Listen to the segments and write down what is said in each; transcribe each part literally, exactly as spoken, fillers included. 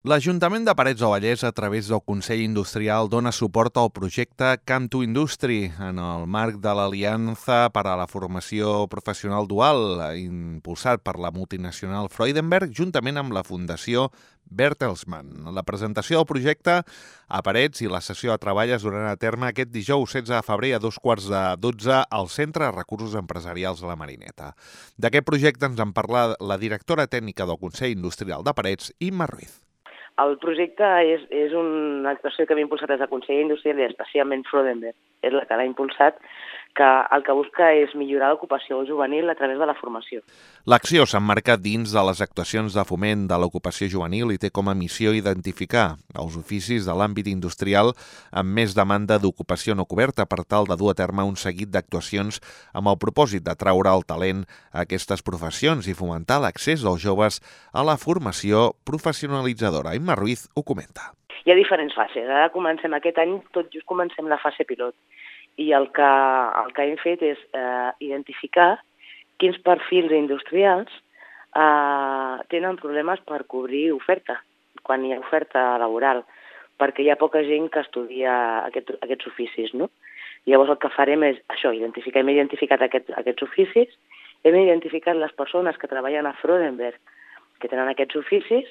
L'Ajuntament de Parets del Vallès, a través del Consell Industrial, dona suport al projecte Camp to Industry en el marc de l'Aliança per a la Formació Professional Dual, impulsat per la multinacional Freudenberg, juntament amb la Fundació Bertelsmann. La presentació del projecte a Parets i la sessió de treball es duran a terme aquest dijous setze de febrer a dos quarts de dotze al Centre de Recursos Empresarials de la Marineta. D'aquest projecte ens en parla la directora tècnica del Consell Industrial de Parets, Imma Ruiz. El projecte és, és una actuació que havia impulsat des del Consell Industrial i especialment Freudenberg, és la que l'ha impulsat, que el que busca és millorar l'ocupació juvenil a través de la formació. L'acció s'emmarca dins de les actuacions de foment de l'ocupació juvenil i té com a missió identificar els oficis de l'àmbit industrial amb més demanda d'ocupació no coberta per tal de dur a terme un seguit d'actuacions amb el propòsit d'atraure el talent a aquestes professions i fomentar l'accés dels joves a la formació professionalitzadora. Imma Ruiz ho comenta. Hi ha diferents fases. Ara comencem aquest any, tot just comencem la fase pilot. I el que, el que hem fet és eh, identificar quins perfils industrials eh, tenen problemes per cobrir oferta, quan hi ha oferta laboral, perquè hi ha poca gent que estudia aquest, aquests oficis, no? Llavors el que farem és això, identificar, hem identificat aquest, aquests oficis, hem identificat les persones que treballen a Freudenberg, que tenen aquests oficis,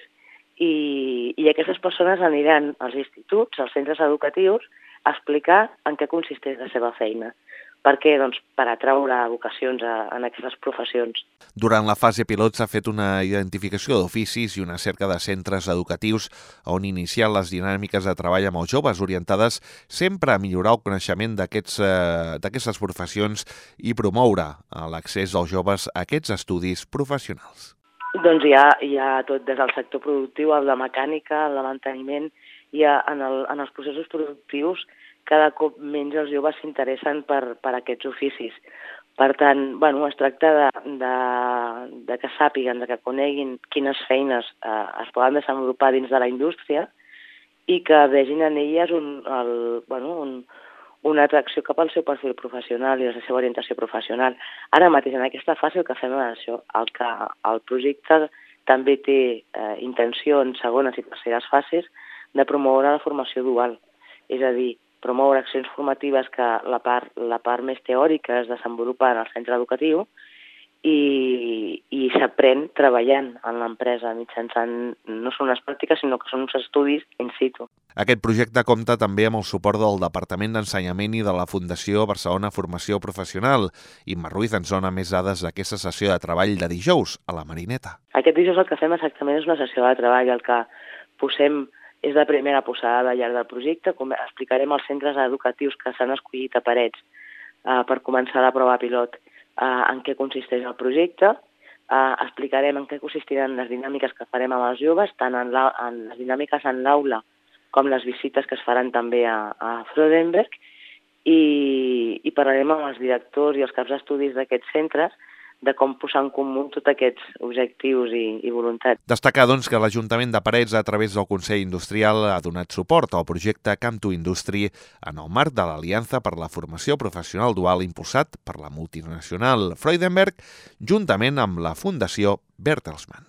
i, i aquestes persones aniran als instituts, als centres educatius, a explicar en què consisteix la seva feina. Per què? Doncs per atraure vocacions a, en aquestes professions. Durant la fase pilot s'ha fet una identificació d'oficis i una cerca de centres educatius on iniciar les dinàmiques de treball amb els joves orientades sempre a millorar el coneixement d'aquests, eh, d'aquestes professions i promoure l'accés dels joves a aquests estudis professionals. Doncs hi ha, hi ha tot des del sector productiu, el de mecànica, el de manteniment, i en, el, en els processos productius cada cop menys els joves s'interessen per, per aquests oficis. Per tant, bueno, es tracta de, de, de que sàpiguen, de que coneguin quines feines eh, es poden desenvolupar dins de la indústria i que vegin en elles un, el, bueno, un, una atracció cap al seu perfil professional i a la seva orientació professional. Ara mateix, en aquesta fase, el que fem és això, el que el projecte també té eh, intenció en segones i terceres fases de promoure la formació dual, és a dir, promoure accions formatives que la part, la part més teòrica es desenvolupa en el centre educatiu i, i s'aprèn treballant en l'empresa mitjançant, no són unes pràctiques, sinó que són uns estudis in situ. Aquest projecte compta també amb el suport del Departament d'Ensenyament i de la Fundació Barcelona Formació Professional. Imma Ruiz ens dona més dades d'aquesta sessió de treball de dijous a la Marineta. Aquest dijous el que fem exactament és una sessió de treball, el que posem és la primera posada de llarg del projecte, com explicarem als centres educatius que s'han escollit a Parets eh, per començar la prova pilot eh, en què consisteix el projecte, eh, explicarem en què consistiran les dinàmiques que farem amb els joves, tant en, la, en les dinàmiques en l'aula com les visites que es faran també a, a Freudenberg, i, i parlarem amb els directors i els caps d'estudis d'aquests centres de com posar en comú tots aquests objectius i, i voluntats. Destacar, doncs, que l'Ajuntament de Parets, a través del Consell Industrial, ha donat suport al projecte Camp to Industry en el marc de l'Aliança per la Formació Professional Dual impulsat per la multinacional Freudenberg, juntament amb la Fundació Bertelsmann.